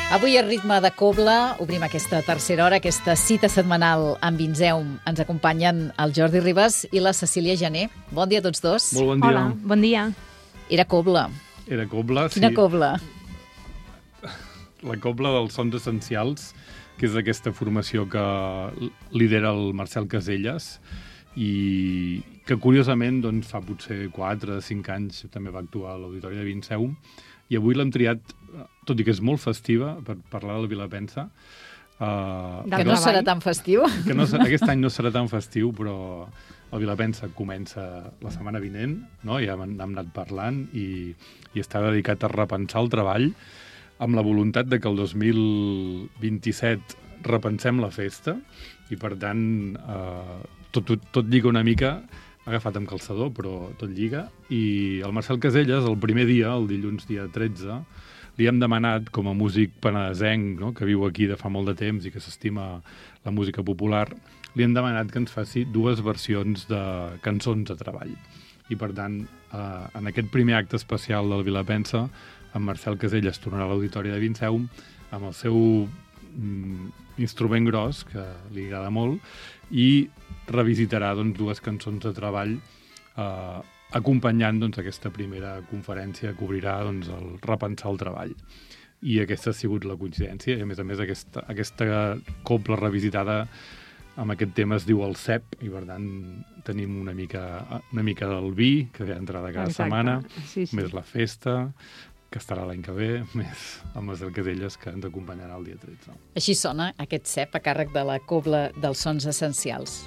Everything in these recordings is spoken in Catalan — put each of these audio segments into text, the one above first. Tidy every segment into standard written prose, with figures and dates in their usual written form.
Avui a ritme de Cobla obrim aquesta tercera hora, aquesta cita setmanal amb Vinseum. Ens acompanyen el Jordi Ribas i la Cecília Jané. Bon dia a tots dos. Molt bon dia. Hola, bon dia. Era Cobla. Era Cobla, sí. Quina Cobla? La Cobla dels Sons Essencials, que és aquesta formació que lidera el Marcel Caselles i que, curiosament, doncs, fa potser 4 o 5 anys també va actuar a l'Auditori de Vinseum. I avui l'hem triat, tot i que és molt festiva, per parlar del Vilapensa. Que no serà tan festiu. Que aquest any no serà tan festiu, però el Vilapensa comença la setmana vinent, no? Ja hem anat parlant i està dedicat a repensar el treball amb la voluntat de que el 2027 repensem la festa i, per tant, tot lliga una mica, agafat amb calçador, però tot lliga. I el Marcel Caselles, el primer dia, el dilluns dia 13, li hem demanat, com a músic penedesenc, no?, que viu aquí de fa molt de temps i que s'estima la música popular, li hem demanat que ens faci 2 versions de cançons de treball. I, per tant, en aquest primer acte especial del Vilapensa, en Marcel Caselles tornarà a l'Auditori de Vinseum amb el seu instrument gros, que li agrada molt, i revisitarà, doncs, 2 cançons de treball acompanyant, doncs, aquesta primera conferència que obrirà, doncs, el repensar el treball. I aquesta ha sigut la coincidència. I, a més, aquesta cobla revisitada amb aquest tema es diu el cep, i, per tant, tenim una mica del vi, que ve a entrada cada setmana, sí. Més la festa, que estarà l'any que ve, més el Marcel Caselles, que ens acompanyarà el dia 13. Així sona aquest cep a càrrec de la Cobla dels Sons Essencials.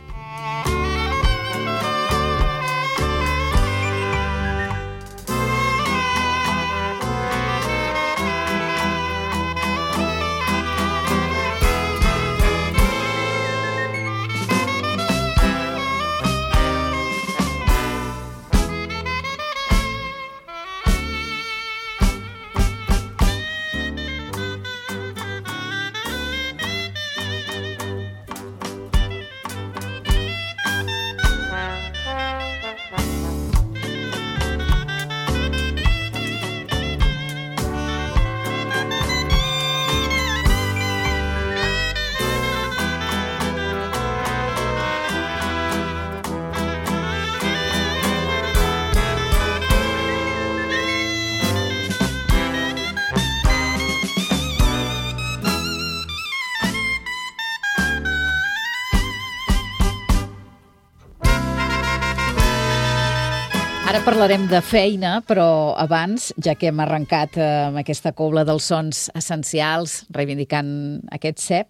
Ara parlarem de feina, però abans, ja que hem arrencat amb aquesta cobla dels sons essencials, reivindicant aquest cep,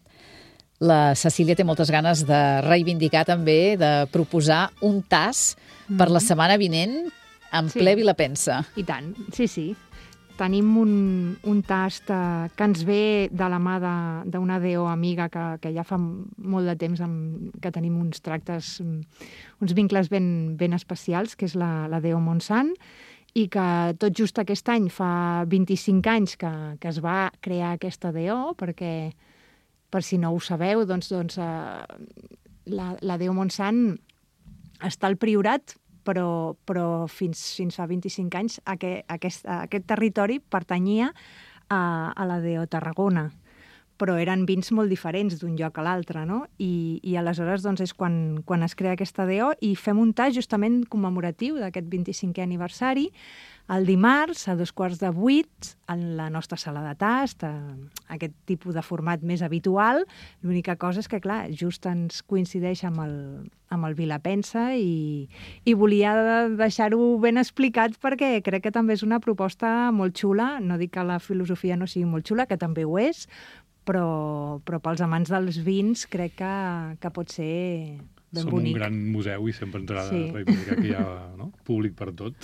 la Cecília té moltes ganes de reivindicar també, de proposar un tas per la setmana vinent en ple Vilapensa. I tant, sí. Tenim un tast que ens ve de la mà d'una DO amiga que ja fa molt de temps que tenim uns tractes, uns vincles ben especials, que és la DO Montsant, i que tot just aquest any fa 25 anys que es va crear aquesta DO, perquè, per si no ho sabeu, doncs la DO Montsant està al Priorat, però fins fa 25 anys aquest territori pertanyia a la DO Tarragona, però eren vins molt diferents d'un lloc a l'altre, no? I aleshores doncs, és quan es crea aquesta DO i fem un tas justament commemoratiu d'aquest 25è aniversari, el dimarts a 7:15 en la nostra sala de tast, aquest tipus de format més habitual. L'única cosa és que, clar, just ens coincideix amb el Vilapensa i volia deixar-ho ben explicat perquè crec que també és una proposta molt xula. No dic que la filosofia no sigui molt xula, que també ho és, però pels amants dels vins crec que pot ser ben bonic. Som un gran museu i sempre ens agrada reivindicar que hi ha públic per tot.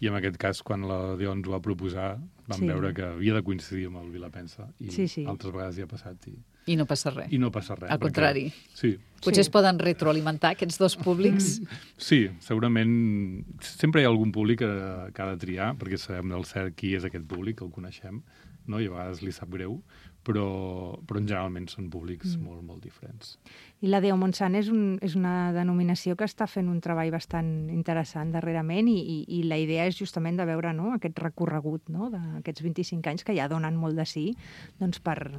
I en aquest cas, quan la DO ens ho va proposar, vam veure que havia de coincidir amb el Vilapensa. I altres vegades ja ha passat. I no passa res. Al contrari. Sí. Potser es poden retroalimentar aquests 2 públics? Sí, segurament. Sempre hi ha algun públic que ha de triar, perquè sabem del cert qui és aquest públic, el coneixem, no? I a vegades li sap greu, però generalment són públics molt, molt diferents. I la Deo Montsant és una denominació que està fent un treball bastant interessant darrerament i la idea és justament de veure, no, aquest recorregut, no, d'aquests 25 anys que ja donen molt de sí, doncs per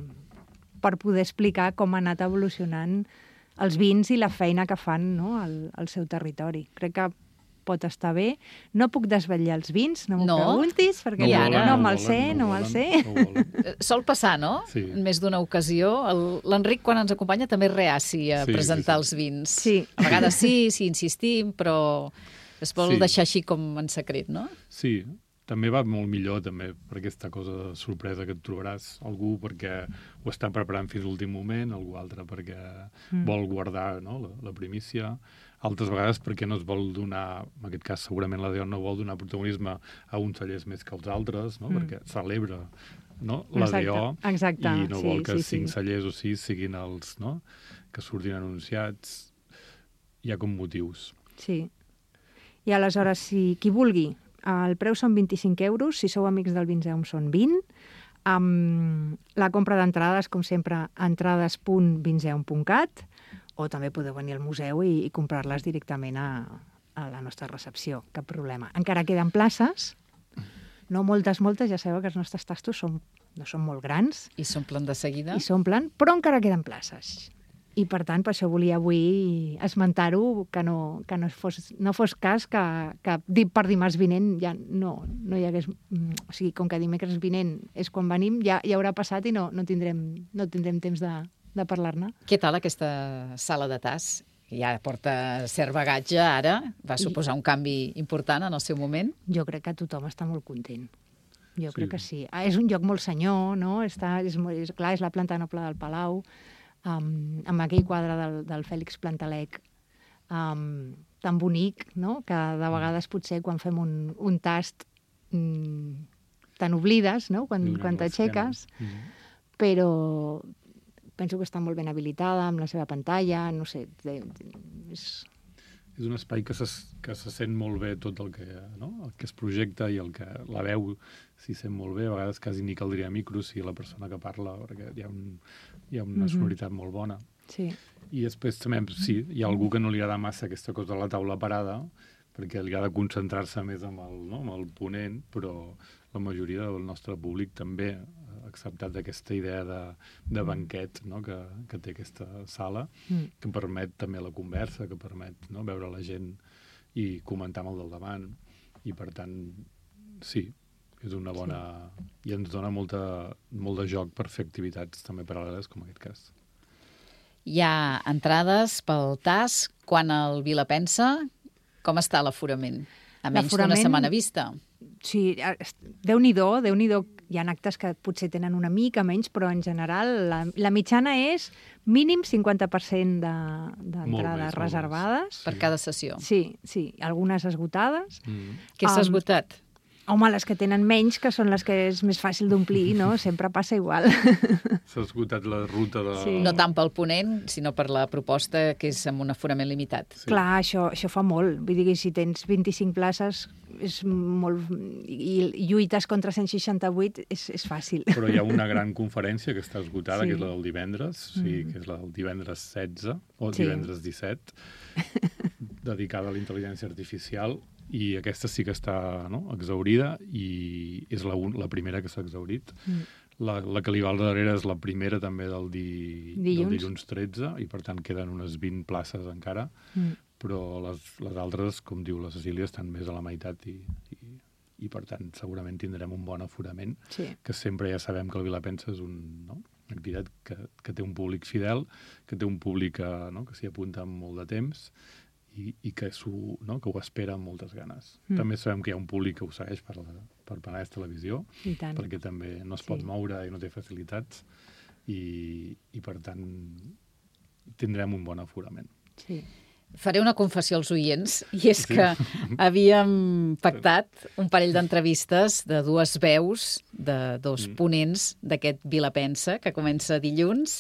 poder explicar com ha anat evolucionant els vins i la feina que fan, no, al seu territori. Crec que pot estar bé. No puc desvetllar els vins, no m'ho preguntis, perquè no me'l sé. Sol passar, no? Sí. En més d'una ocasió. L'Enric, quan ens acompanya, també és reaci a presentar els vins. Sí. A vegades sí insistim, però es vol deixar així com en secret, no? Sí, també va molt millor també per aquesta cosa de sorpresa que et trobaràs. Algú perquè ho està preparant fins a l'últim moment, algú altre perquè vol guardar, no, la primícia, altres vegades perquè no es vol donar, en aquest cas segurament la Deo no vol donar protagonisme a uns cellers més que als altres, no? Perquè celebra, no, la Deo i no vol que 5 cellers o 6 siguin els, no, que surtin anunciats. Hi ha com motius. Sí. I aleshores, si qui vulgui, el preu són 25 euros, si sou amics del Vinzeum són 20. La compra d'entrades, com sempre, entrades.vinzeum.cat, o també podeu venir al museu i comprar-les directament a la nostra recepció, cap problema. Encara queden places, no moltes, ja sabeu que els nostres tastos no són molt grans. I s'omplen de seguida. Però encara queden places. I, per tant, per això volia avui esmentar-ho, que no fos cas que per dimarts vinent ja no hi hagués... O sigui, com que dimecres vinent és quan venim, ja haurà passat i no tindrem temps de parlar-ne. Què tal aquesta sala de tas? Ja porta cert bagatge ara, va suposar un canvi important en el seu moment. Jo crec que tothom està molt content. Jo crec que sí. És un lloc molt senyor, no? Clar, és la planta noble del Palau, amb aquell quadre del Fèlix Plantalec tan bonic, no? Que de vegades potser quan fem un tast te n'oblides, no? Quan t'aixeques, però penso que està molt ben habilitada amb la seva pantalla, no sé, és un espai que se sent molt bé tot el que es projecta i el que la veu s'hi sent molt bé. A vegades quasi ni caldria micro si la persona que parla, perquè hi ha una sonoritat molt bona. Sí. I després també, sí, hi ha algú que no li agrada massa aquesta cosa de la taula parada, perquè li ha de concentrar-se més amb el ponent, però la majoria del nostre públic també ha acceptat aquesta idea de banquet, no? que té aquesta sala, que permet també la conversa, que permet, no? Veure la gent i comentar amb el del davant. I, per tant, sí, és una bona... I ens dona molt de joc per fer activitats també paral·leles, com en aquest cas. Hi ha entrades pel TAS. Quan el Vila pensa, com està l'aforament? A menys d'una setmana vista. Sí, Déu-n'hi-do. Hi ha actes que potser tenen una mica menys, però en general la mitjana és mínim 50% d'entrades reservades. Per cada sessió. Sí, algunes esgotades. Què s'ha esgotat? Home, les que tenen menys, que són les que és més fàcil d'omplir, no? Sempre passa igual. S'ha esgotat la ruta de... Sí. No tant pel ponent, sinó per la proposta, que és amb un aforament limitat. Sí. Clar, això fa molt. Vull dir que si tens 25 places és molt... i lluites contra 168 és fàcil. Però hi ha una gran conferència que està esgotada, que és la del divendres, que és la del divendres 16, o divendres 17, dedicada a la intel·ligència artificial, i aquesta sí que està exhaurida i és la primera que s'ha exhaurit. La que li va al darrere és la primera també del dilluns 13 i per tant queden unes 20 places encara, però les altres, com diu la Cecília, estan més a la meitat i per tant segurament tindrem un bon aforament, que sempre ja sabem que el Vilapensa és una activitat que té un públic fidel, que té un públic que s'hi apunta amb molt de temps i que ho espera amb moltes ganes. També sabem que hi ha un públic que ho segueix per Penedès Televisió, perquè també no es pot moure i no té facilitats, i per tant tindrem un bon aforament. Sí. Faré una confessió als oients, i és que havíem pactat un parell d'entrevistes de dues veus, de dos ponents d'aquest Vilapensa, que comença dilluns.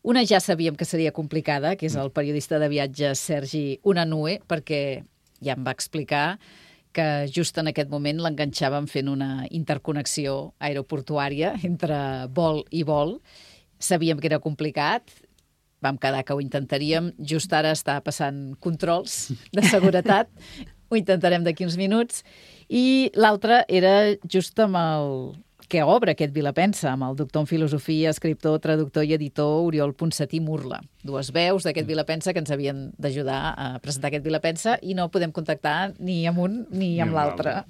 Una ja sabíem que seria complicada, que és el periodista de viatges Sergi Unanue, perquè ja em va explicar que just en aquest moment l'enganxàvem fent una interconnexió aeroportuària entre vol i vol. Sabíem que era complicat, vam quedar que ho intentaríem. Just ara està passant controls de seguretat, ho intentarem d'aquí uns minuts. I l'altre era just amb el que obre aquest Vilapensa, amb el doctor en filosofia, escriptor, traductor i editor Oriol Ponsatí Murla. Dues veus d'aquest Vilapensa que ens havien d'ajudar a presentar aquest Vilapensa i no podem contactar ni amb un ni amb l'altre.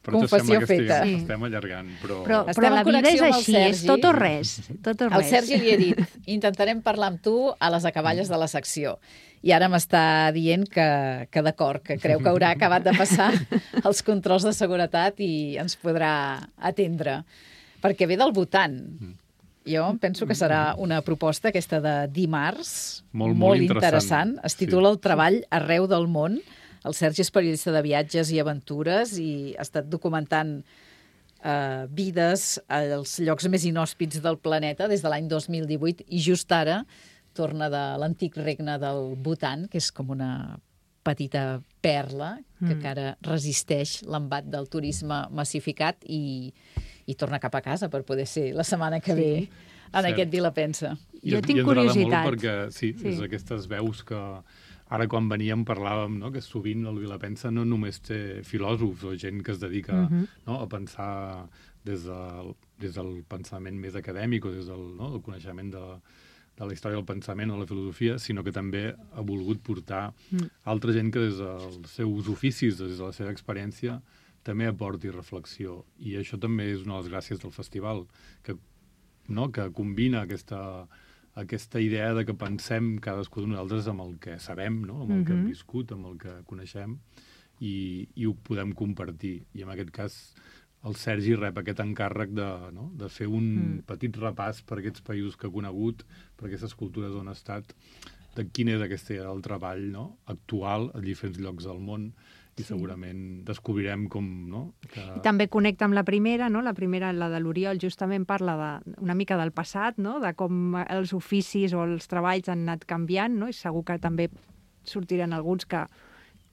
Confessió feta. Estem allargant, però Però la vida és així, és tot o res. Tot o res. Al Sergi li he dit, intentarem parlar amb tu a les acaballes de la secció. I ara m'està dient que d'acord, que creu que haurà acabat de passar els controls de seguretat i ens podrà atendre. Perquè ve del Bhutan. Jo penso que serà una proposta aquesta de dimarts, molt interessant. Es titula El treball arreu del món. El Sergi és periodista de viatges i aventures i ha estat documentant vides als llocs més inhòspits del planeta des de l'any 2018 i just ara torna de l'antic regne del Bhutan, que és com una petita perla que encara resisteix l'embat del turisme massificat i torna cap a casa per poder ser la setmana que ve en aquest Vilapensa. Jo tinc curiositat. Molt perquè, és aquestes veus que ara quan veníem parlàvem, no?, que sovint el Vilapensa no només té filòsofs o gent que es dedica a pensar des del pensament més acadèmic o des del coneixement de la història del pensament o la filosofia, sinó que també ha volgut portar altra gent que des dels seus oficis, des de la seva experiència, també aporti reflexió. I això també és una de les gràcies del festival, que combina aquesta idea de que pensem cadascú de nosaltres amb el que sabem, no?, amb el que hem viscut, amb el que coneixem, i ho podem compartir. I en aquest cas el Sergi rep aquest encàrrec de fer un petit repàs per aquests països que ha conegut, per aquestes cultures on ha estat, de quin és aquest el treball actual a diferents llocs del món, i segurament descobrirem com... I també connecta amb la primera, no? La primera, la de l'Oriol, justament parla una mica del passat, no?, de com els oficis o els treballs han anat canviant, no?, i segur que també sortiran alguns que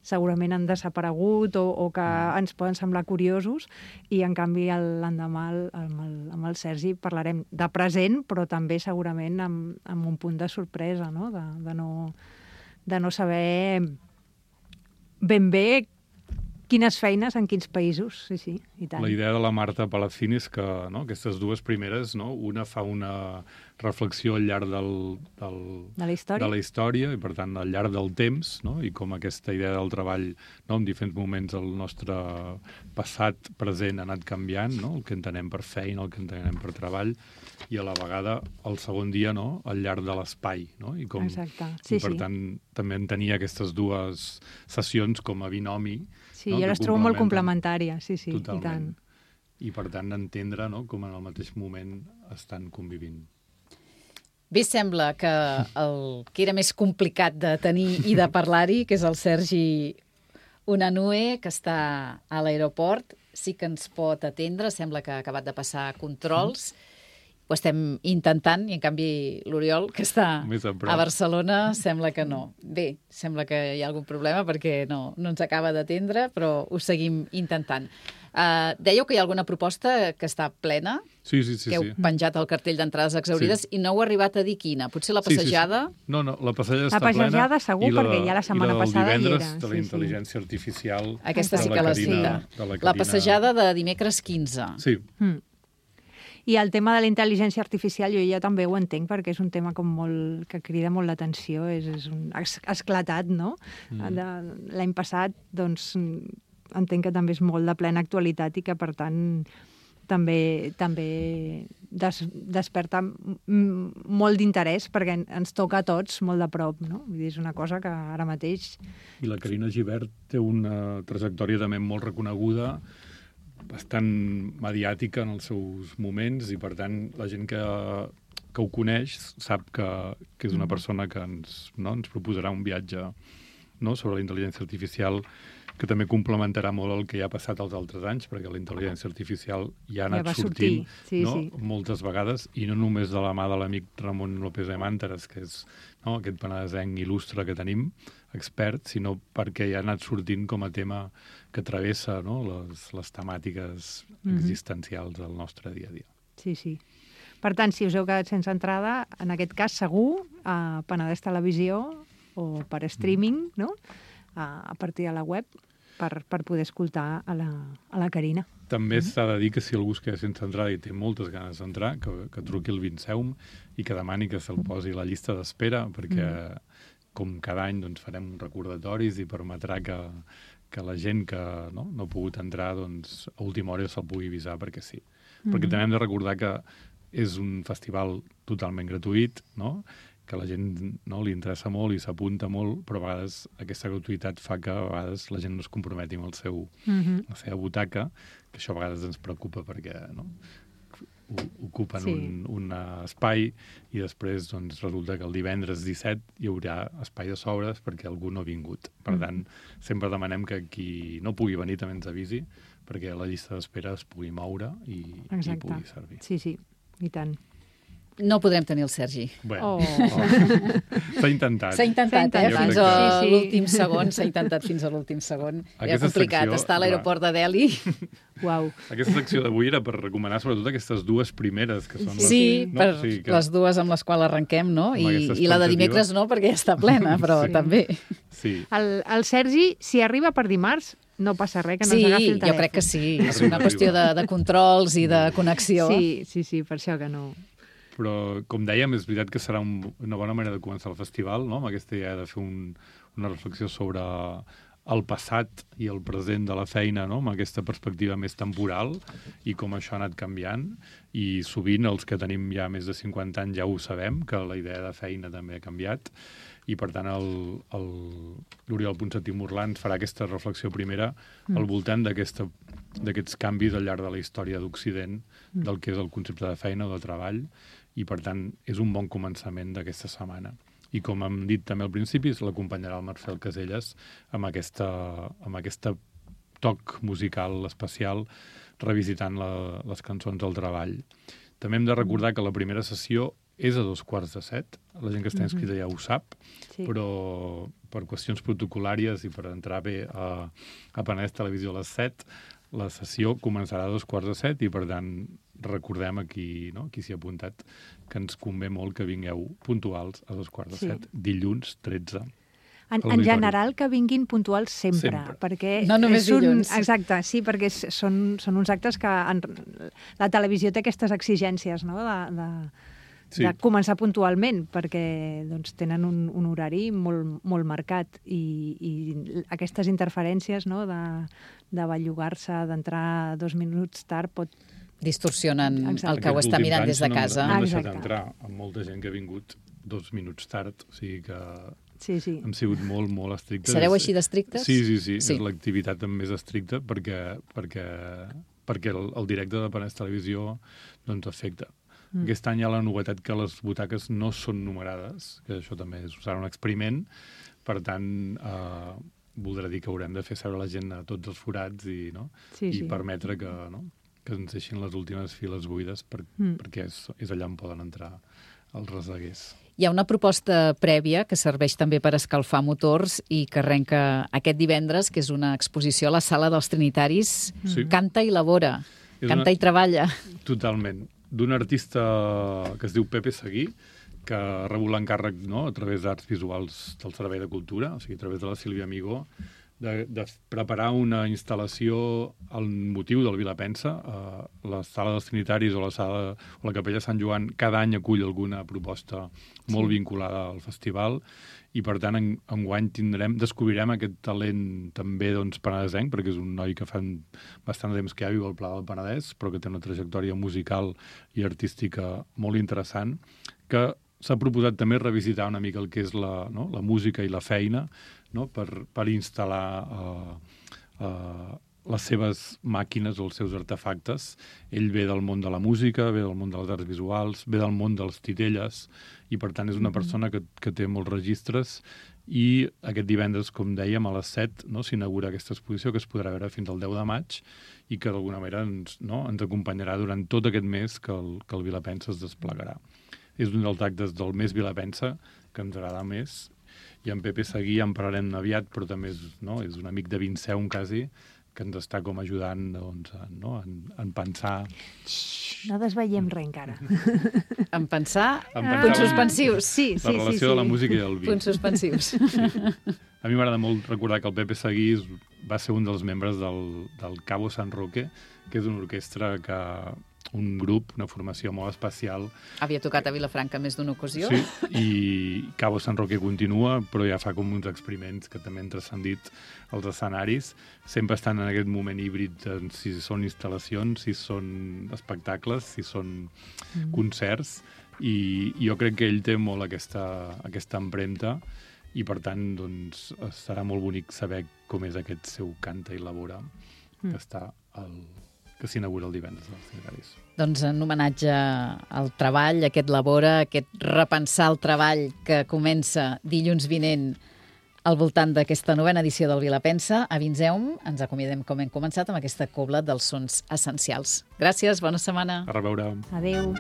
segurament han desaparegut o que ens poden semblar curiosos, i en canvi l'endemà amb el Sergi parlarem de present, però també segurament amb un punt de sorpresa, no?, de no saber ben bé quines feines en quins països, sí, i tant. La idea de la Marta Palacín és que aquestes dues primeres, una fa una reflexió al llarg de la història i, per tant, al llarg del temps, i com aquesta idea del treball en diferents moments del nostre passat, present, ha anat canviant, el que entenem per feina, el que entenem per treball, i a la vegada, el segon dia, al llarg de l'espai. Exacte, i per tant, també en tenia aquestes dues sessions com a binomi. Sí, jo les trobo molt complementàries, sí, totalment. I tant. I per tant, entendre com en el mateix moment estan convivint. Bé, sembla que el que era més complicat de tenir i de parlar-hi, que és el Sergi Unanue, que està a l'aeroport, sí que ens pot atendre, sembla que ha acabat de passar controls, ho estem intentant, i en canvi l'Oriol, que està a Barcelona, sembla que no. Bé, sembla que hi ha algun problema perquè no ens acaba d'atendre, però ho seguim intentant. Dèieu que hi ha alguna proposta que està plena, que heu penjat el cartell d'entrades exaurides, i no heu arribat a dir quina. Potser la passejada? No, la passejada està plena. La passejada segur, perquè ja la setmana passada hi era. I la del divendres de la intel·ligència artificial. Aquesta sí que la cita. La passejada de dimecres 15. Sí. I el tema de la intel·ligència artificial jo ja també ho entenc, perquè és un tema com molt que crida molt l'atenció, ha esclatat, no? L'any passat, doncs, entenc que també és molt de plena actualitat i que, per tant, també desperta molt d'interès perquè ens toca a tots molt de prop, no? Vull dir, és una cosa que ara mateix... I la Carina Gibert té una trajectòria també molt reconeguda, bastant mediàtica en els seus moments, i per tant la gent que ho coneix sap que és una persona que ens proposarà un viatge sobre la intel·ligència artificial, que també complementarà molt el que ja ha passat els altres anys, perquè la intel·ligència artificial ja ha anat sortint moltes vegades, i no només de la mà de l'amic Ramon López de Mànteres, que és aquest penedesenc il·lustre que tenim expert, sinó perquè ja ha anat sortint com a tema que travessa, no?, les temàtiques existencials del nostre dia a dia. Sí, sí. Per tant, si us heu quedat sense entrada, en aquest cas segur, a Penedès Televisió o per streaming, no?, a partir de la web, per poder escoltar a la Carina. També s'ha de dir que si algú es queda sense entrada i té moltes ganes d'entrar, que truqui al Vinceum i que demani que se'l posi a la llista d'espera, perquè com cada any doncs, farem recordatoris i permetrà que la gent que no ha pogut entrar doncs, a última hora se'l pugui avisar perquè sí. Perquè també hem de recordar que és un festival totalment gratuït, no?, que a la gent no, li interessa molt i s'apunta molt, però a vegades aquesta gratuïtat fa que a vegades la gent no es comprometi amb la seva butaca, que això a vegades ens preocupa perquè no, ocupen un espai i després doncs, resulta que el divendres 17 hi haurà espai de sobres perquè algú no ha vingut. Per tant, sempre demanem que qui no pugui venir també ens avisi perquè la llista d'espera es pugui moure i pugui servir. Sí, sí, i tant. No podrem tenir el Sergi. Bueno, s'ha intentat. S'ha intentat, fins a l'últim segon. S'ha intentat fins a l'últim segon. Era complicat estar a l'aeroport de Delhi. Uau. Aquesta secció d'avui era per recomanar sobretot aquestes dues primeres, que són les dues amb les quals arrenquem, no? I la de dimecres no, perquè ja està plena, però també. Sí. El Sergi, si arriba per dimarts, no passa res, que no ens agafi el telèfon. Sí, jo crec que sí. És una qüestió de controls i de connexió. Sí, per això que no. Però, com dèiem, és veritat que serà una bona manera de començar el festival, no?, amb aquesta idea de fer una reflexió sobre el passat i el present de la feina, no?, amb aquesta perspectiva més temporal i com això ha anat canviant. I sovint els que tenim ja més de 50 anys ja ho sabem, que la idea de feina també ha canviat. I, per tant, l'Oriol Ponsatí Morlà ens farà aquesta reflexió primera al voltant d'aquests canvis al llarg de la història d'Occident, del que és el concepte de feina o de treball, i, per tant, és un bon començament d'aquesta setmana. I, com hem dit també al principi, l'acompanyarà el Marcel Caselles amb aquesta toc musical especial, revisitant les cançons del treball. També hem de recordar que la primera sessió és a 7:15. La gent que està inscrita ja ho sap, però per qüestions protocolàries i per entrar bé a Penedès Televisió a les 7, la sessió començarà a 7:15 i, per tant, recordem aquí, no?, qui s'hi ha apuntat, que ens convé molt que vingueu puntuals a 7:15, dilluns 13. En general, que vinguin puntuals sempre. Perquè no només dilluns. Exacte, sí, perquè són uns actes que la televisió té aquestes exigències, no?, de començar puntualment, perquè doncs, tenen un horari molt marcat i aquestes interferències, no?, de bellugar-se, d'entrar 2 minuts tard, pot distorsionen el que ho està mirant des de casa. No hem deixat entrar amb molta gent que ha vingut 2 minuts tard, o sigui que hem sigut molt, molt estrictes. Sereu així d'estrictes? Sí. És l'activitat més estricta perquè el directe de Penedès Televisió doncs, afecta. Aquest any hi ha la novetat que les butaques no són numerades, que això també serà un experiment, per tant, voldrà dir que haurem de fer seure la gent a tots els forats i permetre que ens deixin les últimes files buides perquè és allà on poden entrar els reseguers. Hi ha una proposta prèvia que serveix també per escalfar motors i que arrenca aquest divendres, que és una exposició a la Sala dels Trinitaris. Canta i elabora, canta i treballa. Totalment. D'un artista que es diu Pepe Seguí, que ha rebut l'encàrrec a través d'Arts Visuals del Servei de Cultura, o sigui, a través de la Sílvia Amigó, de preparar una instal·lació al motiu del Vilapensa. La Sala dels Trinitaris o la Capella Sant Joan cada any acull alguna proposta molt vinculada al festival i, per tant, enguany descobrirem aquest talent també penedesenc, perquè és un noi que fa bastant temps que ja viu al Pla del Penedès, però que té una trajectòria musical i artística molt interessant, que s'ha proposat també revisitar una mica el que és la música i la feina, per instal·lar les seves màquines o els seus artefactes. Ell ve del món de la música, ve del món de les arts visuals, ve del món dels titelles i, per tant, és una persona que té molts registres i aquest divendres, com dèiem, a les 7 s'inaugura aquesta exposició que es podrà veure fins al 10 de maig i que d'alguna manera ens acompanyarà durant tot aquest mes que el Vilapensa es desplegarà. És un dels actes del mes Vilapensa que ens agrada més i en Pepe Seguí en parlarem aviat, però també és un amic de Vinceum, quasi, que ens està com ajudant en pensar... No desveiem res encara. En pensar, punts suspensius. Sí. La relació de la música i el vi. Punts suspensius. Sí. A mi m'agrada molt recordar que el Pepe Seguí va ser un dels membres del Cabo San Roque, que és una orquestra un grup, una formació molt especial. Havia tocat a Vilafranca més d'una ocasió. Sí, i Cabo San Roque continua, però ja fa com uns experiments que també han transcendit els escenaris. Sempre estan en aquest moment híbrid, si són instal·lacions, si són espectacles, si són concerts, i jo crec que ell té molt aquesta empremta, i per tant doncs, serà molt bonic saber com és aquest seu Canta i Labora, que s'inaugura el divendres dels Cineraris. Doncs en homenatge al treball, aquest Labora, aquest repensar el treball que comença dilluns vinent al voltant d'aquesta 9a edició del Vilapensa, a Vinceum, ens acomiadem com hem començat amb aquesta cobla dels sons essencials. Gràcies, bona setmana. A reveure. Adéu.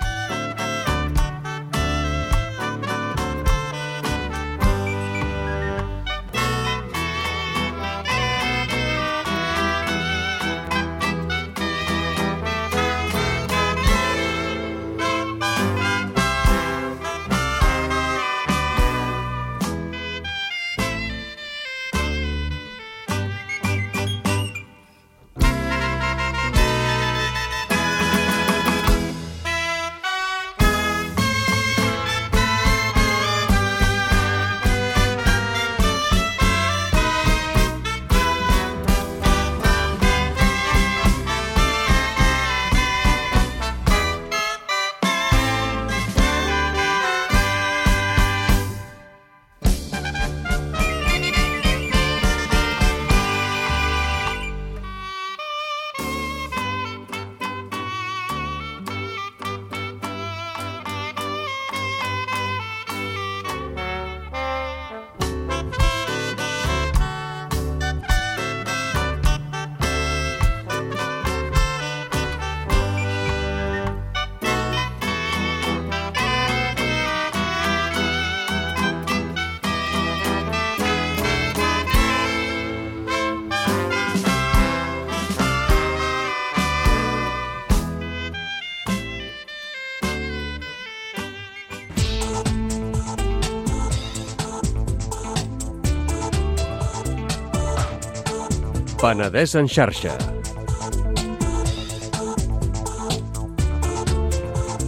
Penedès en xarxa.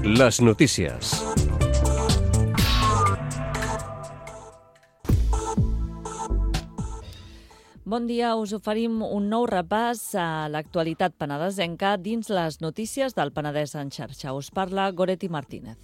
Les notícies. Bon dia, us oferim un nou repàs a l'actualitat penedesenca dins les notícies del Penedès en xarxa. Us parla Goretti Martínez.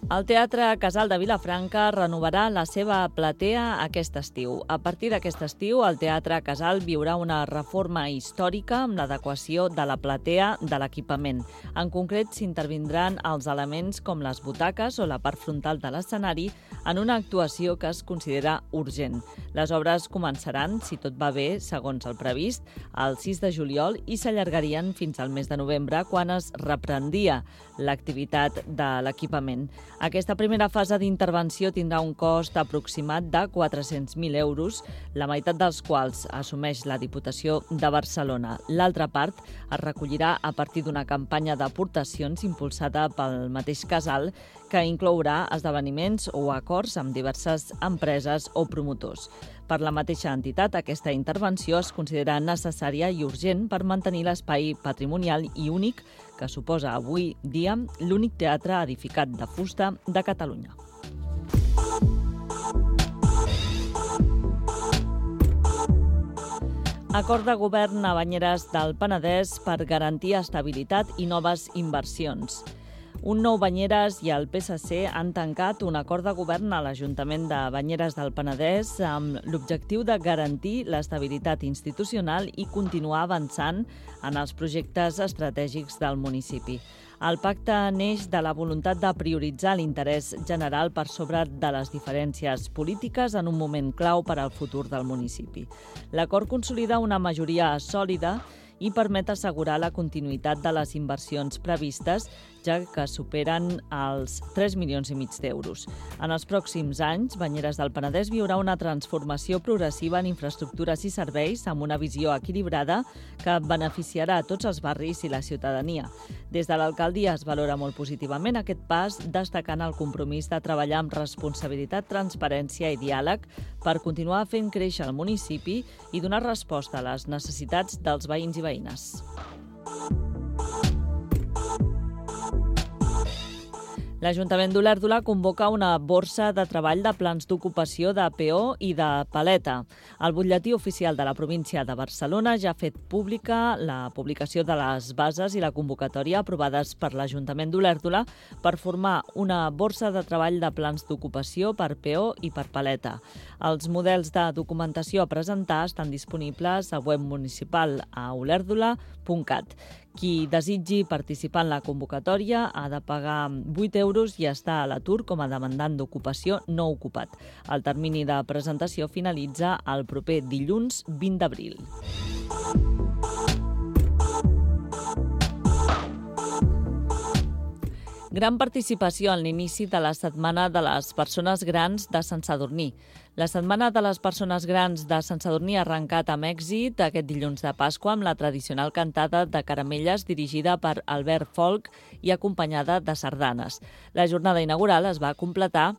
El Teatre Casal de Vilafranca renovarà la seva platea aquest estiu. A partir d'aquest estiu, el Teatre Casal viurà una reforma històrica amb l'adequació de la platea de l'equipament. En concret, s'intervindran els elements com les butaques o la part frontal de l'escenari en una actuació que es considera urgent. Les obres començaran, si tot va bé, segons el previst, el 6 de juliol i s'allargarien fins al mes de novembre, quan es reprendria l'activitat de l'equipament. Aquesta primera fase d'intervenció tindrà un cost aproximat de 400.000 euros, la meitat dels quals assumeix la Diputació de Barcelona. L'altra part es recollirà a partir d'una campanya d'aportacions impulsada pel mateix casal, que inclourà esdeveniments o acords amb diverses empreses o promotors. Per la mateixa entitat, aquesta intervenció es considera necessària i urgent per mantenir l'espai patrimonial i únic que suposa avui dia l'únic teatre edificat de fusta de Catalunya. Acord de govern a Banyeres del Penedès per garantir estabilitat i noves inversions. Un Nou Banyeres i el PSC han tancat un acord de govern a l'Ajuntament de Banyeres del Penedès amb l'objectiu de garantir l'estabilitat institucional i continuar avançant en els projectes estratègics del municipi. El pacte neix de la voluntat de prioritzar l'interès general per sobre de les diferències polítiques en un moment clau per al futur del municipi. L'acord consolida una majoria sòlida i permet assegurar la continuïtat de les inversions previstes, ja que superen els 3,5 milions d'euros. En els pròxims anys, Banyeres del Penedès viurà una transformació progressiva en infraestructures i serveis amb una visió equilibrada que beneficiarà a tots els barris i la ciutadania. Des de l'alcaldia es valora molt positivament aquest pas, destacant el compromís de treballar amb responsabilitat, transparència i diàleg per continuar fent créixer el municipi i donar resposta a les necessitats dels veïns i veïnes. L'Ajuntament d'Olèrdola convoca una borsa de treball de plans d'ocupació de PO i de paleta. El butlletí oficial de la província de Barcelona ja ha fet pública la publicació de les bases i la convocatòria aprovades per l'Ajuntament d'Olèrdola per formar una borsa de treball de plans d'ocupació per PO i per paleta. Els models de documentació a presentar estan disponibles a web municipal a olèrdola.cat. Qui desitgi participar en la convocatòria ha de pagar 8 euros i estar a l'atur com a demandant d'ocupació no ocupat. El termini de presentació finalitza el proper dilluns 20 d'abril. Gran participació en l'inici de la Setmana de les Persones Grans de Sant Sadurní. La Setmana de les Persones Grans de Sant Sadurní ha arrencat amb èxit aquest dilluns de Pasqua amb la tradicional cantada de caramelles dirigida per Albert Folk i acompanyada de sardanes. La jornada inaugural es va completar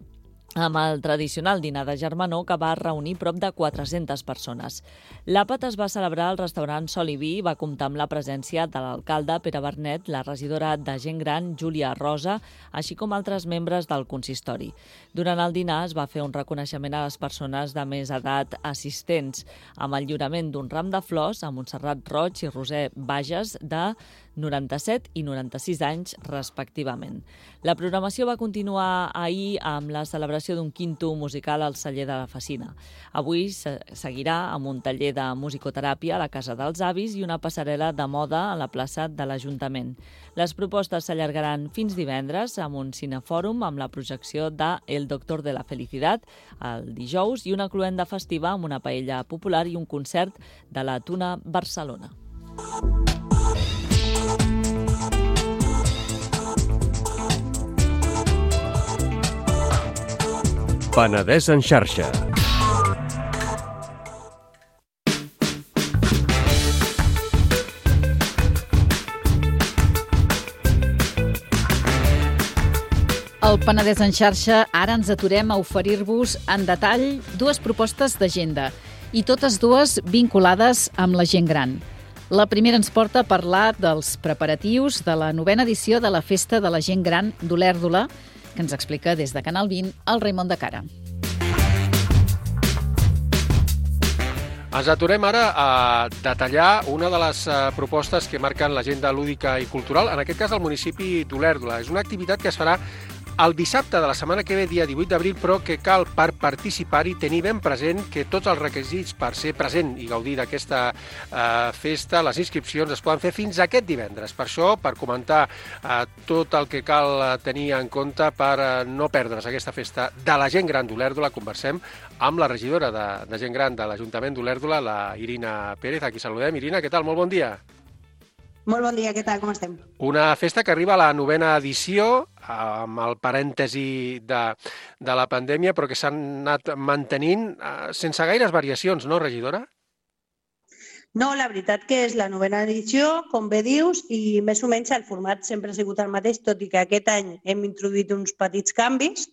amb el tradicional dinar de germanor que va reunir prop de 400 persones. L'àpat es va celebrar al restaurant Sol i Vi i va comptar amb la presència de l'alcalde Pere Bernet, la regidora de Gent Gran Júlia Rosa, així com altres membres del consistori. Durant el dinar es va fer un reconeixement a les persones de més edat assistents, amb el lliurament d'un ram de flors a Montserrat Roig i Roser Bages de 97 i 96 anys, respectivament. La programació va continuar ahir amb la celebració d'un quinto musical al celler de la Facina. Avui seguirà amb un taller de musicoteràpia a la Casa dels Avis i una passarel·la de moda a la plaça de l'Ajuntament. Les propostes s'allargaran fins divendres amb un cinefòrum amb la projecció de El Doctor de la Felicidad el dijous i una cloenda festiva amb una paella popular i un concert de la Tuna Barcelona. Penedès en xarxa. Al Penedès en xarxa ara ens aturem a oferir-vos en detall dues propostes d'agenda i totes dues vinculades amb la gent gran. La primera ens porta a parlar dels preparatius de la 9ª edició de la Festa de la Gent Gran d'Olèrdola, que ens explica des de Canal 20 el Raimon de Cara. Ens aturem ara a detallar una de les propostes que marquen l'agenda lúdica i cultural, en aquest cas al municipi d'Olèrdola. És una activitat que es farà el dissabte de la setmana que ve, dia 18 d'abril, però que cal per participar-hi tenir ben present que tots els requisits per ser present i gaudir d'aquesta festa, les inscripcions es poden fer fins aquest divendres. Per això, per comentar tot el que cal tenir en compte per no perdre's aquesta festa de la gent gran d'Olèrdola, conversem amb la regidora de gent gran de l'Ajuntament d'Olèrdola, la Irina Pérez. Aquí saludem. Irina, què tal? Molt bon dia. Molt bon dia, què tal? Com estem? Una festa que arriba a la 9ª edició, amb el parèntesi de la pandèmia, però que s'han anat mantenint sense gaires variacions, no, regidora? No, la veritat que és la 9ª edició, com bé dius, i més o menys el format sempre ha sigut el mateix, tot i que aquest any hem introduït uns petits canvis,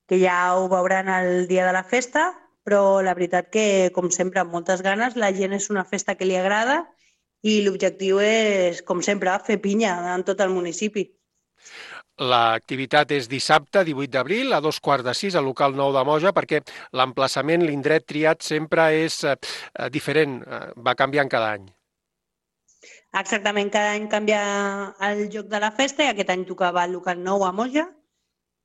que ja ho veuran el dia de la festa, però la veritat que, com sempre, amb moltes ganes, la gent és una festa que li agrada i l'objectiu és, com sempre, fer pinya en tot el municipi. L'activitat és dissabte, 18 d'abril, a 5:15, al local 9 de Moja, perquè l'emplaçament, l'indret triat sempre és diferent, va canviant cada any. Exactament, cada any canvia el lloc de la festa i aquest any tocava el local 9 a Moja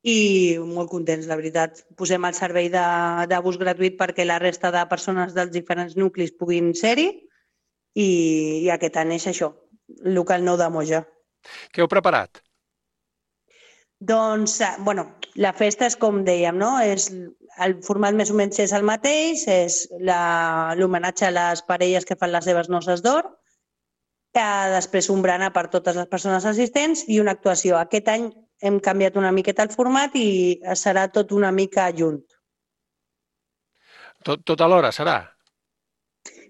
i molt contents, la veritat. Posem el servei de bus gratuït perquè la resta de persones dels diferents nuclis puguin ser-hi i aquest any és això, local 9 de Moja. Què heu preparat? Doncs, la festa és com dèiem, no? El format més o menys és el mateix, és l'homenatge a les parelles que fan les seves noces d'or. després un berenar per totes les persones assistents i una actuació. Aquest any hem canviat una miqueta el format i serà tot una mica junt. Tot alhora serà?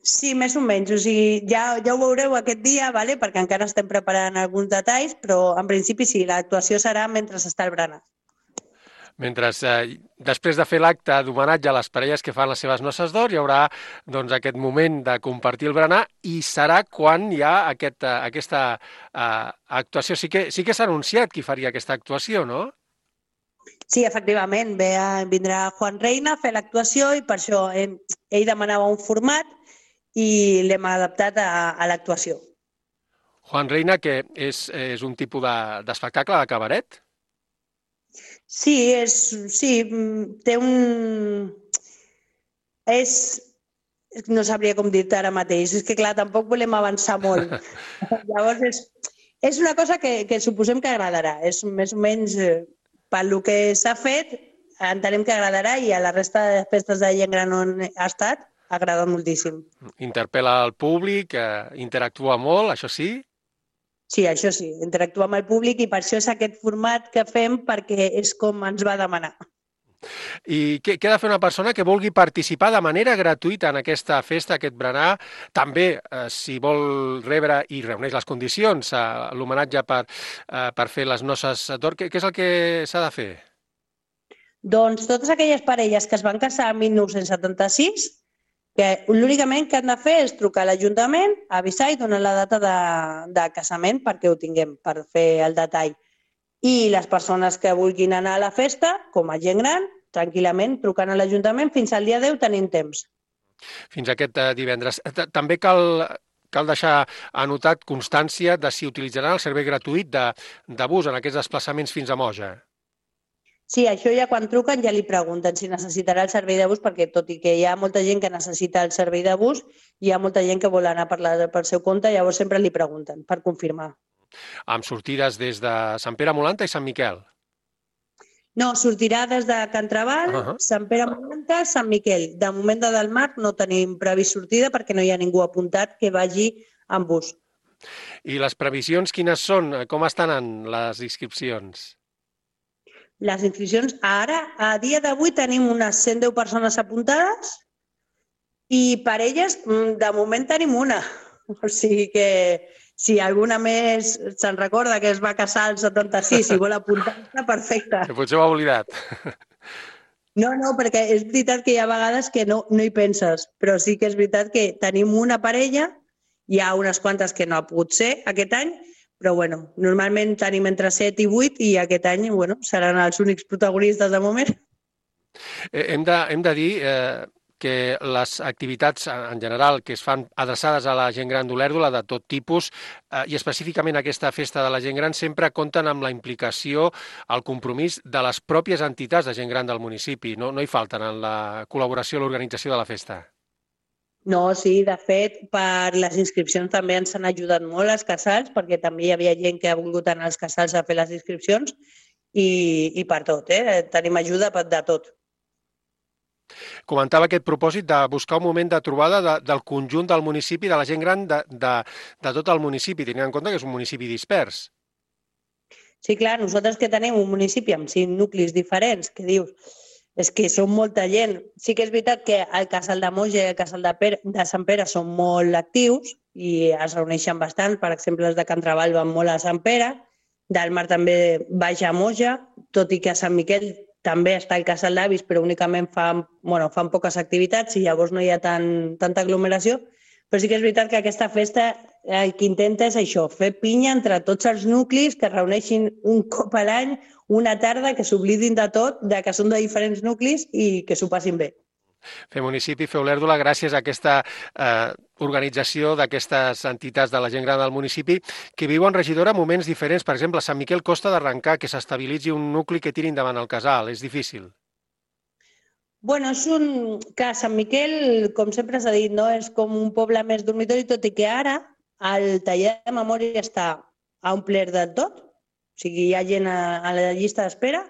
Sí, més o menys. O sigui, ja ho veureu aquest dia, vale? Perquè encara estem preparant alguns detalls, però en principi sí, l'actuació serà mentre està el berenar. Mentre després de fer l'acte d'homenatge a les parelles que fan les seves noces d'or, hi haurà doncs, aquest moment de compartir el berenar i serà quan hi ha aquesta actuació. Sí que s'ha anunciat qui faria aquesta actuació, no? Sí, efectivament. Vindrà Juan Reina a fer l'actuació i per això ell demanava un format i l'hem adaptat a l'actuació. Juan Reina, que és un tipus d'espectacle de cabaret? Sí, té un... No sabria com dir-te ara mateix. És que, clar, tampoc volem avançar molt. Llavors, és una cosa que suposem que agradarà. És més o menys, pel que s'ha fet, entenem que agradarà i a la resta de festes de gent gran on ha estat, agrada moltíssim. Interpel·la el públic, interactua molt, això sí? Sí, això sí, interactuar amb el públic i per això és aquest format que fem perquè és com ens va demanar. I què ha de fer una persona que vulgui participar de manera gratuïta en aquesta festa, aquest berenar? També, si vol rebre i reuneix les condicions, l'homenatge per fer les noces d'or, què és el que s'ha de fer? Doncs totes aquelles parelles que es van casar en 1976, que l'únicament que han de fer és trucar a l'Ajuntament, avisar i donar la data de casament perquè ho tinguem, per fer el detall. I les persones que vulguin anar a la festa, com a gent gran, tranquil·lament, trucant a l'Ajuntament, fins al dia 10 tenim temps. Fins aquest divendres. També cal deixar anotat constància de si utilitzaran el servei gratuït de bus en aquests desplaçaments fins a Moja. Sí, això ja quan truquen ja li pregunten si necessitarà el servei de bus, perquè tot i que hi ha molta gent que necessita el servei de bus, hi ha molta gent que vol anar per seu compte, llavors sempre li pregunten per confirmar. Amb sortides des de Sant Pere Molanta i Sant Miquel? No, sortirà des de Can Trabal, Sant Pere Molanta, Sant Miquel. De moment de Delmar no tenim previst sortida perquè no hi ha ningú apuntat que vagi amb bus. I les previsions quines són? Com estan les inscripcions? Les inscripcions, ara, a dia d'avui, tenim unes 110 persones apuntades i parelles, de moment tenim una. O sigui que si alguna més se'n recorda que es va casar al 76 i vol apuntar-se, perfecte. Que potser ho ha oblidat. No, perquè és veritat que hi ha vegades que no hi penses, però sí que és veritat que tenim una parella, hi ha unes quantes que no ha pogut ser aquest any, però bueno, normalment tenim entre 7 i 8 i aquest any seran els únics protagonistes de moment. Hem de dir que les activitats en general que es fan adreçades a la gent gran d'Olèrdola de tot tipus i específicament aquesta festa de la gent gran sempre compten amb la implicació, el compromís de les pròpies entitats de gent gran del municipi. No hi falten en la col·laboració i l'organització de la festa. No, sí, de fet, per les inscripcions també ens han ajudat molt els casals, perquè també hi havia gent que ha volgut anar als casals a fer les inscripcions i per tot, tenim ajuda de tot. Comentava aquest propòsit de buscar un moment de trobada del conjunt del municipi, de la gent gran de tot el municipi, tenint en compte que és un municipi dispers. Sí, clar, nosaltres que tenim un municipi amb 5 nuclis diferents, que dius, és que són molta gent. Sí que és veritat que el casal de Moja i el casal de Sant Pere són molt actius i es reuneixen bastant. Per exemple, els de Can Trabal van molt a Sant Pere, Delmar també baixa a Moja, tot i que a Sant Miquel també està el casal d'avis, però únicament fan poques activitats i llavors no hi ha tanta aglomeració. Però sí que és veritat que aquesta festa el que intenta és això, fer pinya entre tots els nuclis, que reuneixin un cop a l'any, una tarda, que s'oblidin de tot, de que són de diferents nuclis i que s'ho passin bé. Fer municipi, fer Olèrdola, gràcies a aquesta organització d'aquestes entitats de la gent gran del municipi que viuen, regidora, moments diferents. Per exemple, a Sant Miquel costa d'arrencar que s'estabilitzi un nucli que tiri endavant el casal. És difícil. Bueno, que Sant Miquel, com sempre s'ha dit, no? És com un poble més dormitori, tot i que ara el taller de memòria està omplert de tot. O sigui, hi ha gent a la llista d'espera.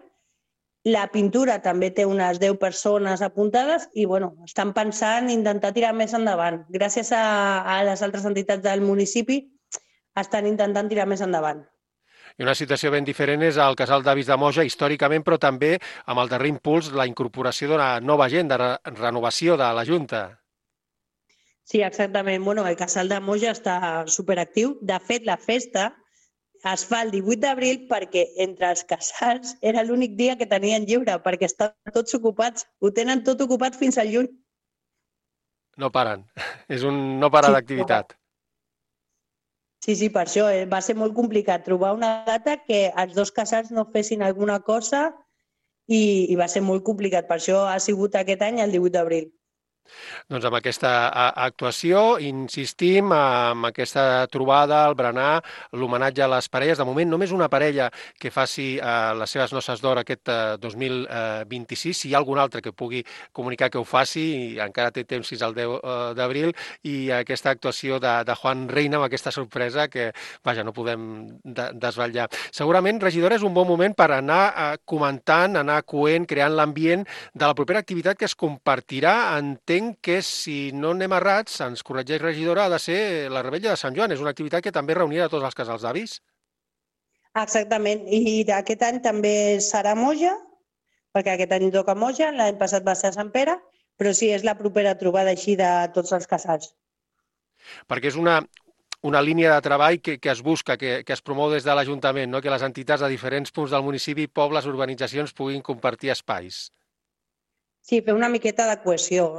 La pintura també té unes 10 persones apuntades i estan pensant intentar tirar més endavant. Gràcies a les altres entitats del municipi estan intentant tirar més endavant. I una situació ben diferent és el casal d'avis de Moja, històricament, però també amb el darrer impuls, la incorporació d'una nova gent de renovació de la Junta. Sí, exactament. Bueno, el casal de Moja està superactiu. De fet, la festa es fa el 18 d'abril perquè entre els casals era l'únic dia que tenien lliure, perquè estan tots ocupats. Ho tenen tot ocupat fins al juny. No paren. És un no parar d'activitat. Sí, per això va ser molt complicat trobar una data que els dos casals no fessin alguna cosa i va ser molt complicat. Per això ha sigut aquest any el 18 d'abril. Doncs amb aquesta actuació insistim amb aquesta trobada, el berenar, l'homenatge a les parelles. De moment, només una parella que faci les seves noces d'or aquest 2026. Si hi ha algun altre que pugui comunicar que ho faci, i encara té temps fins al 10 d'abril, i aquesta actuació de Juan Reina amb aquesta sorpresa que, vaja, no podem desvetllar. Segurament, regidora, és un bon moment per anar comentant, anar coent, creant l'ambient de la propera activitat que es compartirà. Entenc que, si no anem errats, ens corregeix regidora, ha de ser la Revetlla de Sant Joan. És una activitat que també reunirà tots els casals d'avis. Exactament. I aquest any també serà Moja, perquè aquest any toca Moja, l'any passat va ser a Sant Pere, però sí, és la propera trobada així de tots els casals. Perquè és una línia de treball que es busca, que es promou des de l'Ajuntament, no? Que les entitats de diferents punts del municipi, pobles, urbanitzacions puguin compartir espais. Sí, fer una miqueta de cohesió.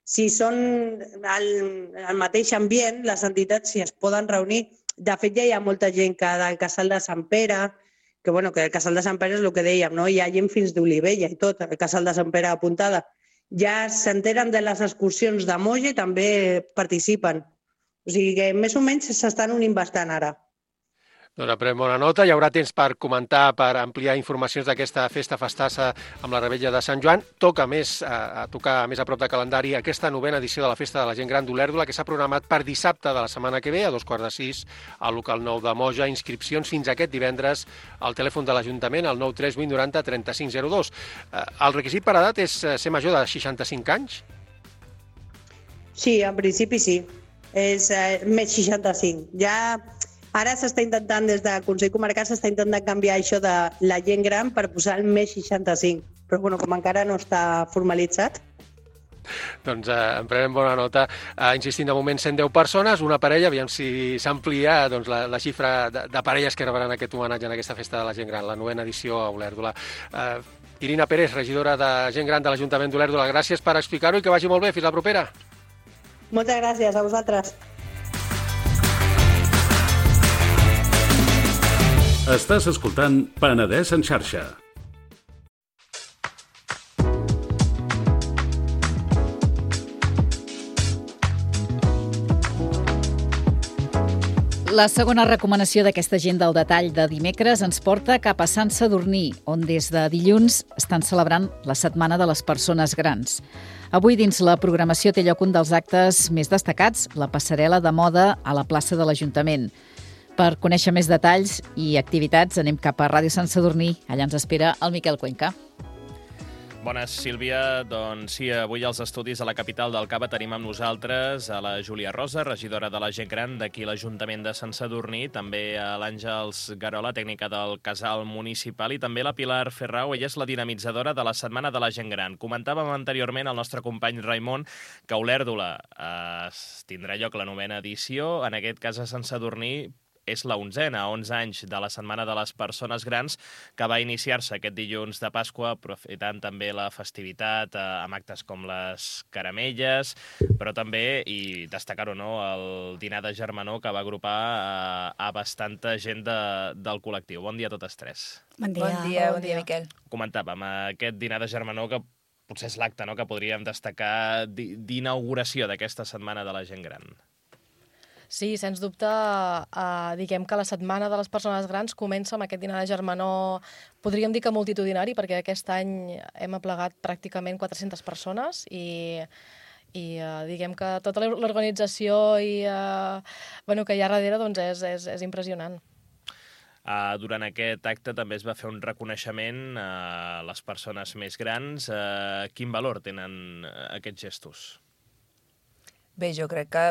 Si són al mateix ambient, les entitats si es poden reunir. De fet, ja hi ha molta gent que del casal de Sant Pere, que el casal de Sant Pere és el que dèiem, no? Hi ha gent fins d'Olivella i tot, el casal de Sant Pere apuntada. Ja s'enteren de les excursions de Moja i també participen. O sigui que més o menys s'estan unint bastant ara. Doncs prenem bona nota. Hi haurà temps per comentar, per ampliar informacions d'aquesta festa festassa amb la Revetlla de Sant Joan. Toca més a prop de calendari aquesta novena edició de la Festa de la Gent Gran d'Olèrdola, que s'ha programat per dissabte de la setmana que ve, a 5:45, al local 9 de Moja. Inscripcions fins aquest divendres al telèfon de l'Ajuntament, al 938 90 3502. El requisit per edat és ser major de 65 anys? Sí, en principi sí. És més 65. Ara s'està intentant, des del Consell Comarcal, s'està intentant canviar això de la gent gran per posar el més 65. Però com encara no està formalitzat. Doncs en prenem bona nota. Insistint, de moment 110 persones, una parella, aviam si s'amplia la xifra de parelles que rebran aquest homenatge en aquesta festa de la gent gran, la 9ª edició a Olèrdola. Irina Pérez, regidora de Gent Gran de l'Ajuntament d'Olèrdola, gràcies per explicar-ho i que vagi molt bé. Fins la propera. Moltes gràcies a vosaltres. Estàs escoltant Penedès en xarxa. La segona recomanació d'aquesta agenda al detall de dimecres ens porta cap a Sant Sadurní, on des de dilluns estan celebrant la Setmana de les Persones Grans. Avui, dins la programació, té lloc un dels actes més destacats, la passarel·la de moda a la plaça de l'Ajuntament. Per conèixer més detalls i activitats, anem cap a Ràdio Sant Sadurní. Allà ens espera el Miquel Cuenca. Bones, Sílvia. Doncs sí, avui als estudis a la capital del Cava tenim amb nosaltres a la Júlia Rosa, regidora de la Gent Gran d'aquí l'Ajuntament de Sant Sadurní, també a l'Àngels Garola, tècnica del Casal Municipal, i també la Pilar Ferrau. Ella és la dinamitzadora de la Setmana de la Gent Gran. Comentàvem anteriorment al nostre company Raimon que a Olèrdola tindrà lloc la 9ª edició, en aquest cas a Sant Sadurní és la 11a, 11 anys de la Setmana de les Persones Grans, que va iniciar-se aquest dilluns de Pasqua, aprofitant també la festivitat amb actes com les caramelles, però també, i destacar-ho, no, el dinar de germanor que va agrupar a bastanta gent del col·lectiu. Bon dia a totes tres. Bon dia, Miquel. Comentàvem aquest dinar de germanor que potser és l'acte, no?, que podríem destacar d'inauguració d'aquesta Setmana de la Gent Gran. Sí, sens dubte, diguem que la Setmana de les Persones Grans comença amb aquest dinar de germanor, podríem dir que multitudinari, perquè aquest any hem aplegat pràcticament 400 persones i diguem que tota l'organització que hi ha darrere doncs és impressionant. Durant aquest acte també es va fer un reconeixement a les persones més grans. Quin valor tenen aquests gestos? Bé, jo crec que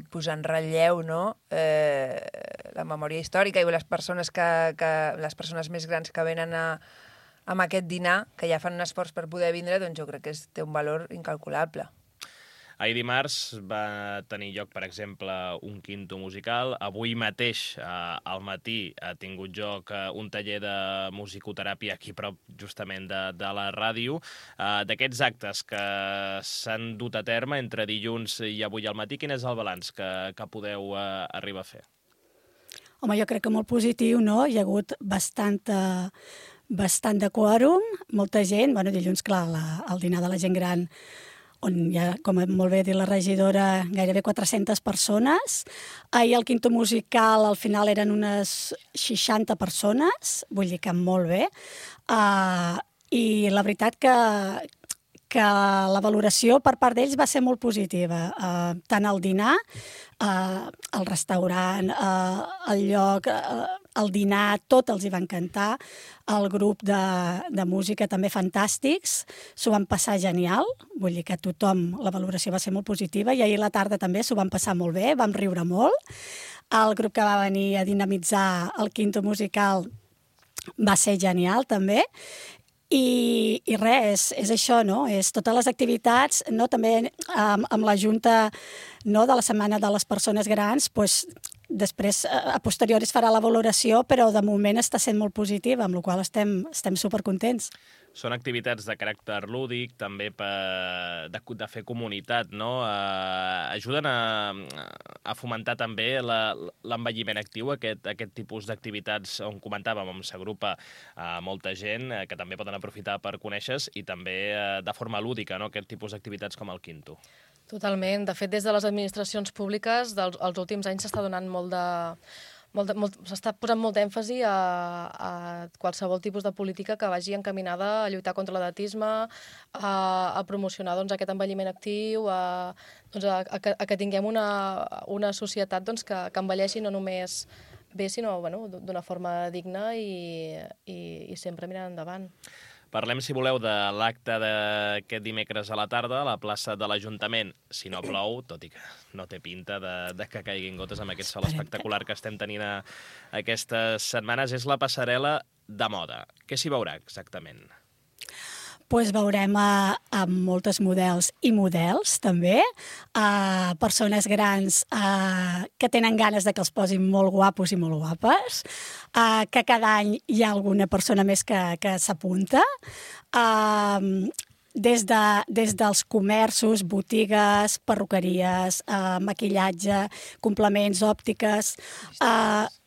posar en relleu, no, la memòria històrica i les persones les persones més grans que venen amb aquest dinar, que ja fan un esforç per poder vindre, doncs jo crec que té un valor incalculable. Ahir dimarts va tenir lloc, per exemple, un quinto musical. Avui mateix, al matí, ha tingut lloc un taller de musicoteràpia aquí prop, justament, de la ràdio. D'aquests actes que s'han dut a terme entre dilluns i avui al matí, quin és el balanç que podeu arribar a fer? Home, jo crec que molt positiu, no? Hi ha hagut bastant de quòrum, molta gent. Bueno, dilluns, clar, el dinar de la gent gran, on hi ha, com molt bé ha dit la regidora, gairebé 400 persones. Ahir el quinto musical al final eren unes 60 persones, vull dir que molt bé. I la veritat que la valoració per part d'ells va ser molt positiva. Tant el dinar, el restaurant, el lloc, el dinar, tot els hi va encantar. El grup de música també fantàstics, s'ho van passar genial, vull dir que la valoració va ser molt positiva, i ahir a la tarda també s'ho van passar molt bé, vam riure molt. El grup que va venir a dinamitzar el quinto musical va ser genial també. I res, és això, no? És totes les activitats, no? També amb la Junta, no, de la Setmana de les Persones Grans, doncs, després, a posteriori es farà la valoració, però de moment està sent molt positiva, amb la qual cosa estem supercontents. Són activitats de caràcter lúdic, també de fer comunitat, no? Ajuden a fomentar també l'envelliment actiu, aquest tipus d'activitats on comentàvem, on s'agrupa molta gent, que també poden aprofitar per conèixer i també de forma lúdica, no? Aquest tipus d'activitats com el quinto. Totalment. De fet, des de les administracions públiques, els últims anys s'està donant s'està posant molt èmfasi a qualsevol tipus de política que vagi encaminada a lluitar contra l'edatisme, a promocionar aquest envelliment actiu, a que tinguem una societat que envelleixi no només bé, sinó d'una forma digna i sempre mirant endavant. Parlem, si voleu, de l'acte d'aquest dimecres a la tarda a la plaça de l'Ajuntament. Si no plou, tot i que no té pinta de que caiguin gotes amb aquest sol espectacular que estem tenint aquestes setmanes, és la passarel·la de moda. Què s'hi veurà exactament? Doncs veurem moltes models i models, també. Persones grans que tenen ganes de que els posin molt guapos i molt guapes, que cada any hi ha alguna persona més que s'apunta. Des dels comerços, botigues, perruqueries, maquillatge, complements, òptiques...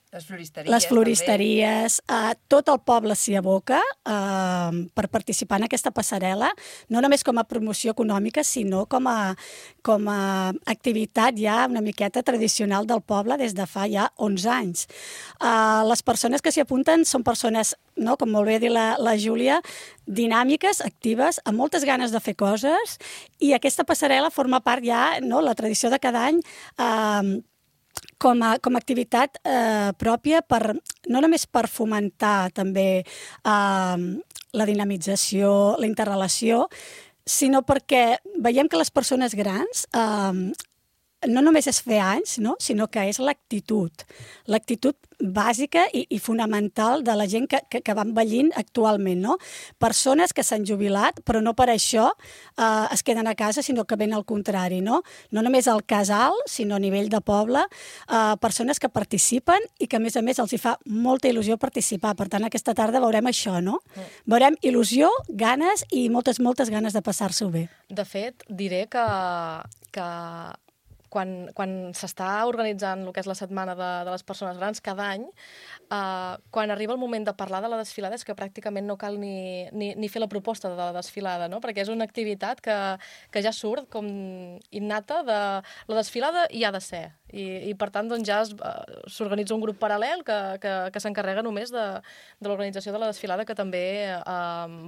Les floristeries, tot el poble s'hi aboca per participar en aquesta passarel·la, no només com a promoció econòmica, sinó com a activitat ja una miqueta tradicional del poble des de fa ja 11 anys. Les persones que s'hi apunten són persones, no, com molt bé ha dit la Júlia, dinàmiques, actives, amb moltes ganes de fer coses, i aquesta passarel·la forma part ja, no, la tradició de cada any, com a activitat pròpia, no només per fomentar també la dinamització, la interrelació, sinó perquè veiem que les persones grans no només és fer anys, no? Sinó que és l'actitud bàsica i fonamental de la gent que va envellint actualment, no? Persones que s'han jubilat, però no per això es queden a casa, sinó que ben al contrari, no? No només al casal, sinó a nivell de poble, persones que participen i que, a més els hi fa molta il·lusió participar. Per tant, aquesta tarda veurem això, no? Veurem il·lusió, ganes i moltes ganes de passar-s'ho bé. De fet, diré que quan s'està organitzant el que és la Setmana de les Persones Grans cada any, quan arriba el moment de parlar de la desfilada és que pràcticament no cal ni fer la proposta de la desfilada, no? Perquè és una activitat que ja surt com innata de la desfilada i ha de ser. I per tant, doncs, ja s'organitza un grup paral·lel que s'encarrega només de l'organització de la desfilada, que també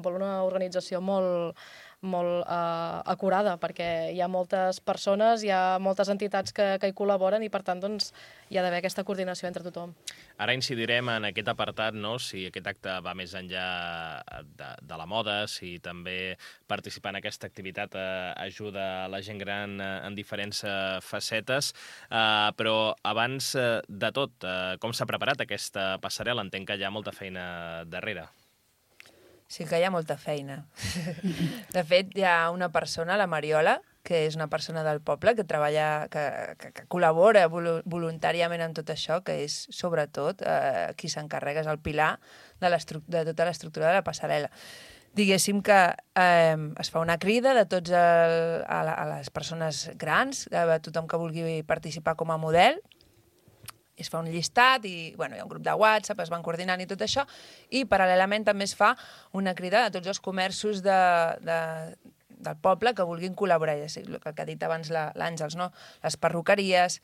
vol una organització molt acurada, perquè hi ha moltes persones, hi ha moltes entitats que hi col·laboren i, per tant, doncs, hi ha d'haver aquesta coordinació entre tothom. Ara incidirem en aquest apartat, no? Si aquest acte va més enllà de la moda, si també participar en aquesta activitat ajuda a la gent gran en diferents facetes, però abans de tot, com s'ha preparat aquesta passarel·la? Entenc que hi ha molta feina darrere. Sí que hi ha molta feina. De fet, hi ha una persona, la Mariola, que és una persona del poble que treballa, que col·labora voluntàriament en tot això, que és, sobretot, qui s'encarrega, és el pilar de tota l'estructura de la passarel·la. Diguéssim que es fa una crida de tots a les persones grans, a tothom que vulgui participar com a model, es fa un llistat i hi ha un grup de WhatsApp, es van coordinant i tot això, i paral·lelament també es fa una crida a tots els comerços del poble que vulguin col·laborar, el que ha dit abans l'Àngels, no? Les perruqueries,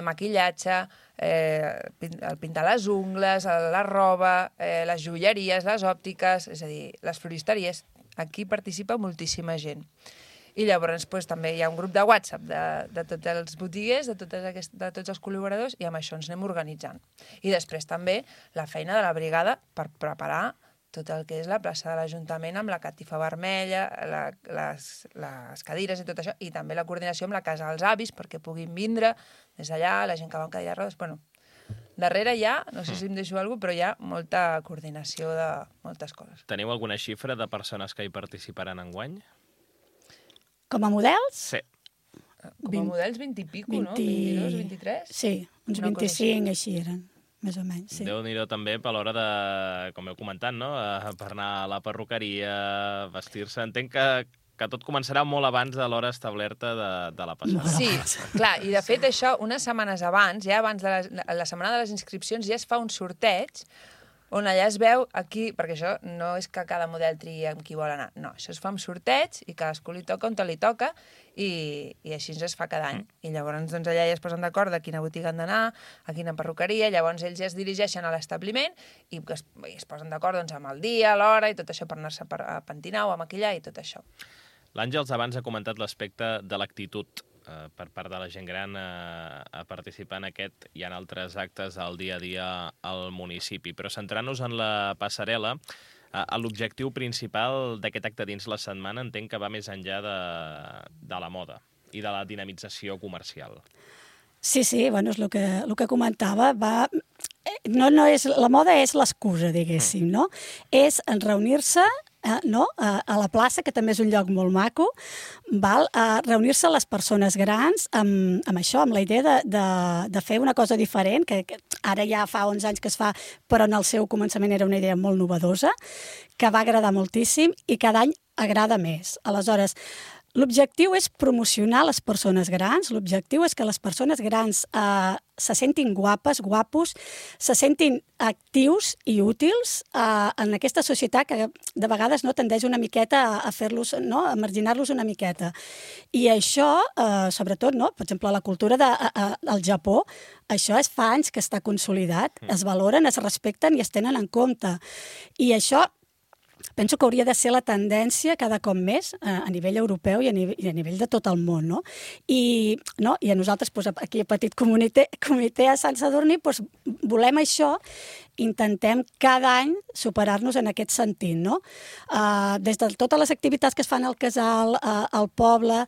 maquillatge, el pintar les ungles, la roba, les joieries, les òptiques, és a dir, les floristeries. Aquí participa moltíssima gent. I llavors també hi ha un grup de WhatsApp de tots els botiguers, de tots els col·laboradors, i amb això ens anem organitzant. I després també la feina de la brigada per preparar tot el que és la plaça de l'Ajuntament amb la catifa vermella, les cadires i tot això, i també la coordinació amb la casa dels avis perquè puguin vindre des d'allà, la gent que va en cadira de rodes. Darrere hi ha, no sé si em deixo alguna cosa, però hi ha molta coordinació de moltes coses. Teniu alguna xifra de persones que hi participaran enguany? Com a models? Sí. Com a models 20 i pico, no? 22, 23? Sí, uns 25 així eren, més o menys. Sí. Déu-n'hi-do també per l'hora de, com heu comentat, no? Per anar a la perruqueria, vestir-se. Entenc que tot començarà molt abans de l'hora establerta de la passada. Sí, clar, i de fet això, unes setmanes abans, ja abans de la setmana de les inscripcions, ja es fa un sorteig on allà es veu aquí, perquè això no és que cada model triï amb qui vol anar, no, això es fa amb sorteig i cadascú li toca on li toca i així es fa cada any. I llavors doncs, allà ja es posen d'acord de quina botiga han d'anar, a quina perruqueria, llavors ells ja es dirigeixen a l'establiment i es posen d'acord doncs, amb el dia, l'hora i tot això per anar-se a pentinar o a maquillar i tot això. L'Àngels abans ha comentat l'aspecte de l'actitud per part de la gent gran a participar en aquest i en altres actes al dia a dia al municipi. Però centrant-nos en la passarel·la, l'objectiu principal d'aquest acte dins la setmana entenc que va més enllà de la moda i de la dinamització comercial. Sí, bueno, és el que comentava. No és, la moda és l'excusa, diguéssim, no? És reunir-se a la plaça, que també és un lloc molt maco, reunir-se les persones grans amb això, amb la idea de fer una cosa diferent, que ara ja fa 11 anys que es fa, però en el seu començament era una idea molt novedosa, que va agradar moltíssim i cada any agrada més. Aleshores, l'objectiu és promocionar les persones grans, l'objectiu és que les persones grans se sentin guapes, guapos, se sentin actius i útils en aquesta societat que de vegades tendeix una miqueta a fer-los, a marginar-los una miqueta. I això, sobretot, per exemple, la cultura del Japó, això fa anys que està consolidat, es valoren, es respecten i es tenen en compte. I això penso que hauria de ser la tendència cada cop més a nivell europeu i a nivell de tot el món. I a nosaltres, aquí a Petit Comitè a Sant Sadurní, volem això, intentem cada any superar-nos en aquest sentit. Des de totes les activitats que es fan al casal, al poble,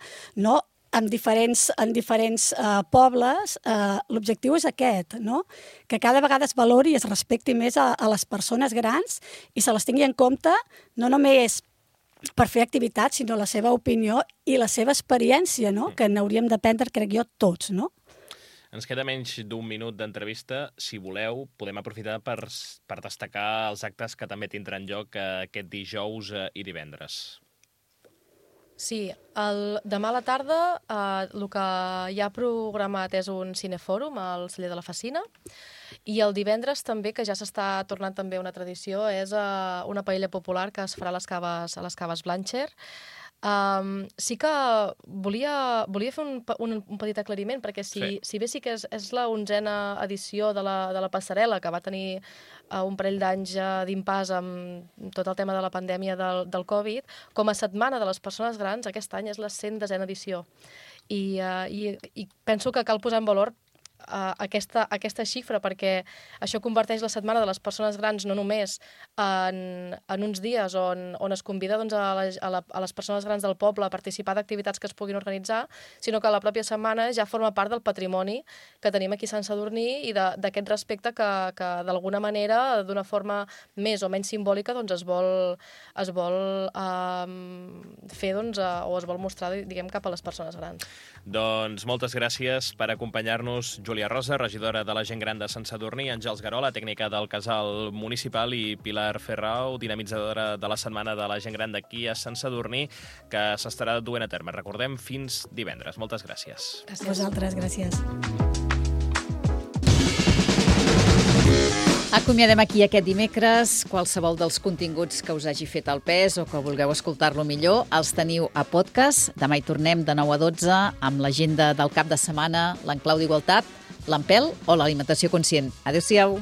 en diferents pobles, l'objectiu és aquest, que cada vegada es valori i es respecti més a les persones grans i se les tingui en compte no només per fer activitats, sinó la seva opinió i la seva experiència, que n'hauríem d'aprendre, crec jo, tots. Ens queda menys d'un minut d'entrevista. Si voleu, podem aprofitar per destacar els actes que també tindran lloc aquest dijous i divendres. Sí, demà a la tarda el que hi ha programat és un cinefòrum al celler de la Facina i el divendres també, que ja s'està tornant també una tradició, és una paella popular que es farà a les caves Blancher Sí que volia fer un petit aclariment, perquè si bé sí que és la 11a edició de la passarel·la, que va tenir un parell d'anys d'impàs amb tot el tema de la pandèmia del Covid, com a setmana de les persones grans, aquest any és la 110a edició. I penso que cal posar en valor aquesta xifra, perquè això converteix la setmana de les persones grans no només en uns dies on es convida a les persones grans del poble a participar d'activitats que es puguin organitzar, sinó que la pròpia setmana ja forma part del patrimoni que tenim aquí a Sant Sadurní i d'aquest respecte que d'alguna manera, d'una forma més o menys simbòlica, es vol fer o es vol mostrar, diguem, cap a les persones grans. Doncs moltes gràcies per acompanyar-nos, Júlia Rosa, regidora de la gent gran de Sant Sadurní, Àngels Garola, tècnica del casal municipal, i Pilar Ferrau, dinamitzadora de la setmana de la gent gran d'aquí a Sant Sadurní, que s'estarà duent a terme. Recordem, fins divendres. Moltes gràcies. Gràcies. A vosaltres, gràcies. Acomiadem aquí aquest dimecres. Qualsevol dels continguts que us hagi fet el pes o que vulgueu escoltar-lo millor els teniu a podcast. Demà hi tornem de 9 a 12 amb l'agenda del cap de setmana, l'enclau d'igualtat, l'empel o l'alimentació conscient. Adéu-siau.